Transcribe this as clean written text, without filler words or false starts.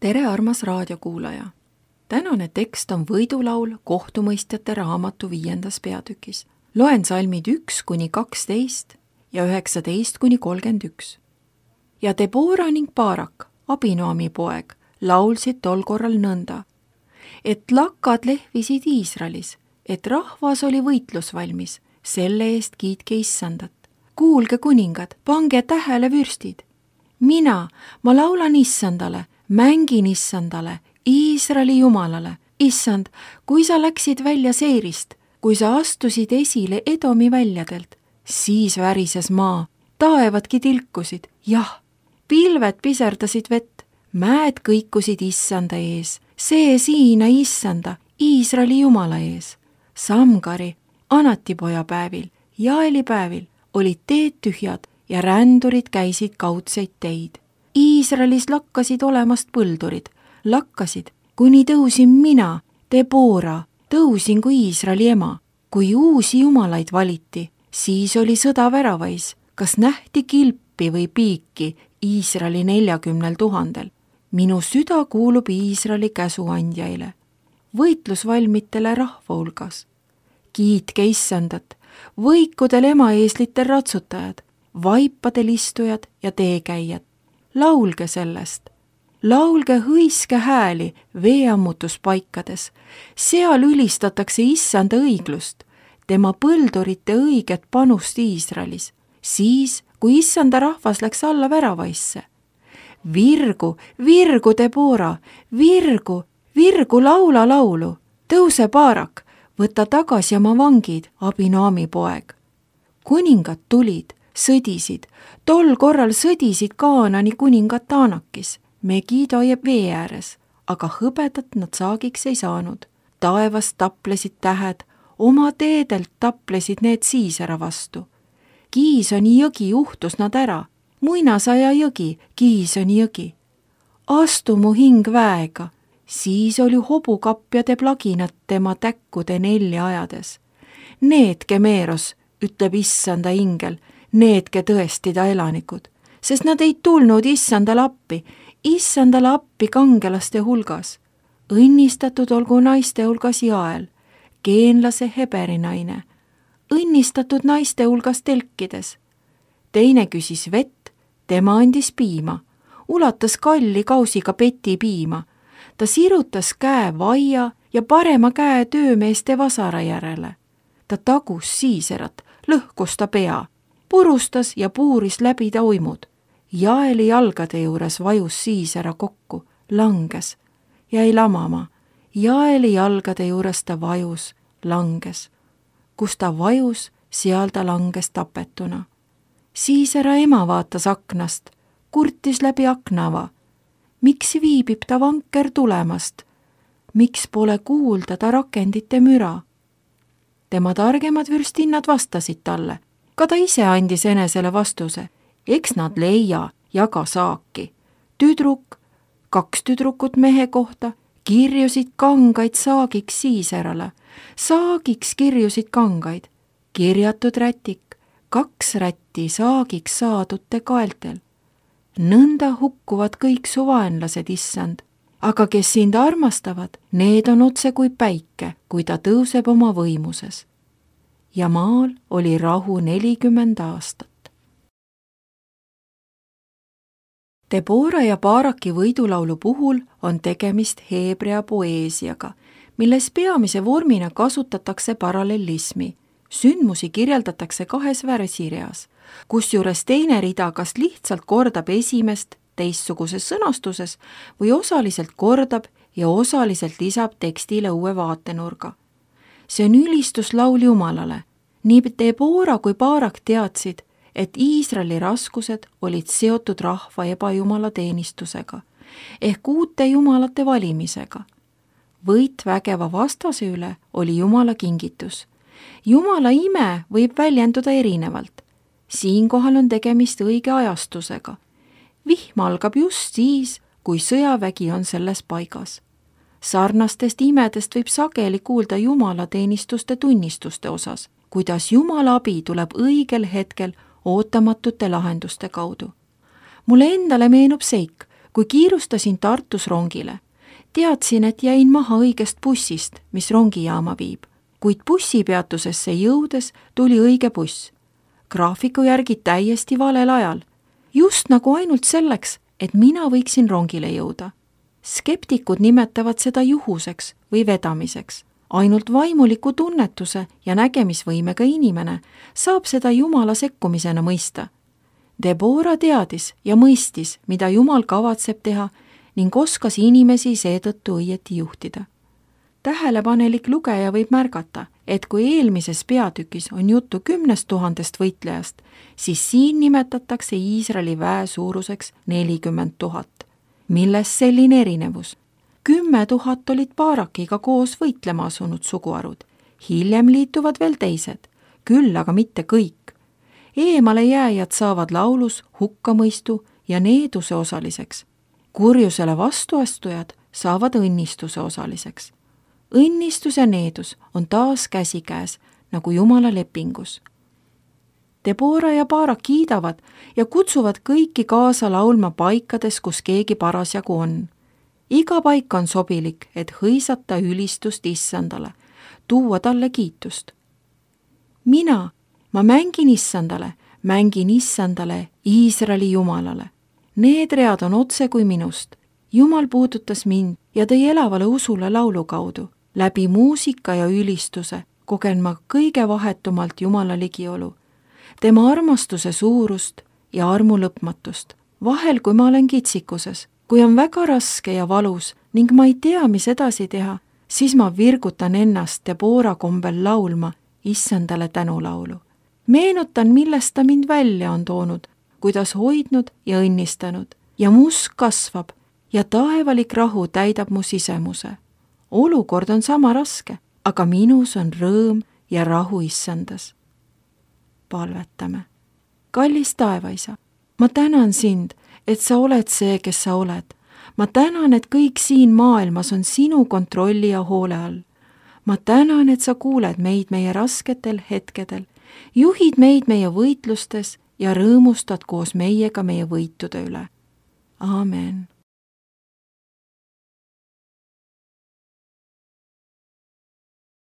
Tere, armas raadiokuulaja! Tänane tekst on võidulaul kohtumõistjate raamatu 5. peatükis. Loen salmid 1-12 ja 19-31. Ja Debora ning Baarak, Abinoami poeg, laulsid tol korral nõnda, et lakkad lehvisid Iisraelis, et rahvas oli võitlusvalmis, selle eest kiitke Issandat. Kuulge, kuningad, pange tähele, vürstid. Ma laulan Issandale, mängin Issandale, Iisraeli Jumalale. Issand, kui sa läksid välja seirist, kui sa astusid esile Edomi väljadelt, siis värises maa, taevadki tilkusid, jah, pilved piserdasid vett, mäed kõikusid Issanda ees, see siina Issanda, Iisraeli Jumala ees. Samgari, Anatipoja päevil, Jaeli päevil olid teed tühjad ja rändurid käisid kaudseid teid. Iisraelis lakkasid olemast põldurid, lakkasid, kuni tõusin mina, Debora, tõusin kui Iisraeli ema. Kui uusi jumalaid valiti, siis oli sõda väravais, kas nähti kilpi või piiki Iisraeli 40 000. Minu süda kuulub Iisraeli käsuandjaile, võitlusvalmitele rahva hulgas. Kiitke Issandat, võikudel emaeeslitel ratsutajad, vaipadel istujad ja teekäijad. Laulge sellest, laulge hõiske hääli veeammutuspaikades, seal ülistatakse Issanda õiglust, tema põldurite õiget panust Iisraelis, siis, kui Issanda rahvas läks alla väravaisse. Virgu, virgu, Debora, virgu, virgu, laula laulu, tõuse Baarak, võta tagasi oma vangid, Abinoami poeg. Kuningad tulid, sõdisid, tol korral sõdisid Kaanani kuningad Taanakis, Megido ja vee ääres, aga hõbedat nad saagiks ei saanud. Taevast taplesid tähed, oma teedelt taplesid need Siisera vastu. Kiisoni jõgi juhtus nad ära, muinasaja jõgi, Kiisoni jõgi. Astu mu hing väega, siis oli hobukapjade plaginat tema täkkude nelja ajades. Needke Meeros, ütleb Issanda ingel, needke tõesti ta elanikud, sest nad ei tulnud Issandale appi kangelaste hulgas. Õnnistatud olgu naiste hulgas Jael, geenlase Heberi naine, õnnistatud naiste hulgas telkides. Teine küsis vett, tema andis piima, ulatas kalli kausiga peti piima. Ta sirutas käe vaia ja parema käe töömeeste vasara järele. Ta tagus Siiserat, lõhkus ta pea, purustas ja puuris läbi ta uimud. Jaeli jalgade juures vajus Siisera kokku, langes, jäi lamama. Jaeli jalgade juures ta vajus, langes. Kus ta vajus, seal ta langes tapetuna. Siisera ema vaatas aknast, kurtis läbi aknava. Miks viibib ta vanker tulemast? Miks pole kuulda ta rakendite müra? Tema targemad vürstinnad vastasid talle. Ka ta ise andis enesele vastuse. Eks nad leia, jaga saaki. Tüdruk, 2 tüdrukut mehe kohta, kirjusid kangaid saagiks Siiserale. Saagiks kirjusid kangaid. Kirjatud rätik, 2 rätti saagiks saadute kaeltel. Nõnda hukkuvad kõik su vaenlased, Issand, aga kes sind armastavad, need on otse kui päike, kui ta tõuseb oma võimuses. Ja maal oli rahu 40 aastat. Debora ja Baaraki võidulaulu puhul on tegemist heebrea poeesiaga, milles peamise vormina kasutatakse parallelismi. Sündmusi kirjeldatakse 2 värsireas, kusjuures teine rida kas lihtsalt kordab esimest teistsuguses sõnastuses või osaliselt kordab ja osaliselt lisab tekstile uue vaatenurga. See on ülistuslaul Jumalale. Nii Debora kui Baarak teadsid, et Iisraeli raskused olid seotud rahva ebajumala teenistusega ehk uute jumalate valimisega. Võit vägeva vastase üle oli Jumala kingitus. Jumala ime võib väljenduda erinevalt. Siinkohal on tegemist õige ajastusega. Vihm algab just siis, kui sõjavägi on selles paigas. Sarnastest imedest võib sageli kuulda Jumala teenistuste tunnistuste osas, kuidas Jumala abi tuleb õigel hetkel ootamatute lahenduste kaudu. Mulle endale meenub seik, kui kiirustasin Tartus rongile. Teadsin, et jäin maha õigest bussist, mis rongijaama viib, kuid bussipeatusesse jõudes tuli õige buss. Graafiku järgi täiesti valel ajal, just nagu ainult selleks, et mina võiksin rongile jõuda. Skeptikud nimetavad seda juhuseks või vedamiseks. Ainult vaimuliku tunnetuse ja nägemisvõimega inimene saab seda Jumala sekkumisena mõista. Deborah teadis ja mõistis, mida Jumal kavatseb teha ning oskas inimesi seetõttu õieti juhtida. Tähelepanelik lugeja võib märgata, et kui eelmises peatükis on juttu 10 000 võitlejast, siis siin nimetatakse Iisraeli väe suuruseks 40 000. Milles selline erinevus? 10 000 olid Baarakiga koos võitlema asunud suguharud. Hiljem liituvad veel teised, küll aga mitte kõik. Eemale jääjad saavad laulus hukkamõistu ja needuse osaliseks. Kurjusele vastuastujad saavad õnnistuse osaliseks. Õnnistus ja needus on taas käsikäes, nagu Jumala lepingus. Deborah ja Baarak kiidavad ja kutsuvad kõiki kaasa laulma paikades, kus keegi parasjagu on. Iga paik on sobilik, et hõisata ülistust Issandale, tuua talle kiitust. Ma mängin Issandale, Iisraeli Jumalale. Need read on otse kui minust. Jumal puudutas mind ja tõi elavale usule laulu kaudu. Läbi muusika ja ülistuse kogen ma kõige vahetumalt Jumala ligiolu, tema armastuse suurust ja armu lõpmatust. Vahel, kui ma olen kitsikuses, kui on väga raske ja valus ning ma ei tea, mis edasi teha, siis ma virgutan ennast Deborah kombel laulma Issandale tänulaulu. Meenutan, millest ta mind välja on toonud, kuidas hoidnud ja õnnistanud ja mu usk kasvab ja taevalik rahu täidab mu sisemuse. Olukord on sama raske, aga minus on rõõm ja rahu Issandas. Palvetame. Kallis taevaisa, ma tänan sind, et sa oled see, kes sa oled. Ma tänan, et kõik siin maailmas on sinu kontrolli ja hoole all. Ma tänan, et sa kuuled meid meie rasketel hetkedel, juhid meid meie võitlustes ja rõõmustad koos meiega meie võitude üle. Aamen.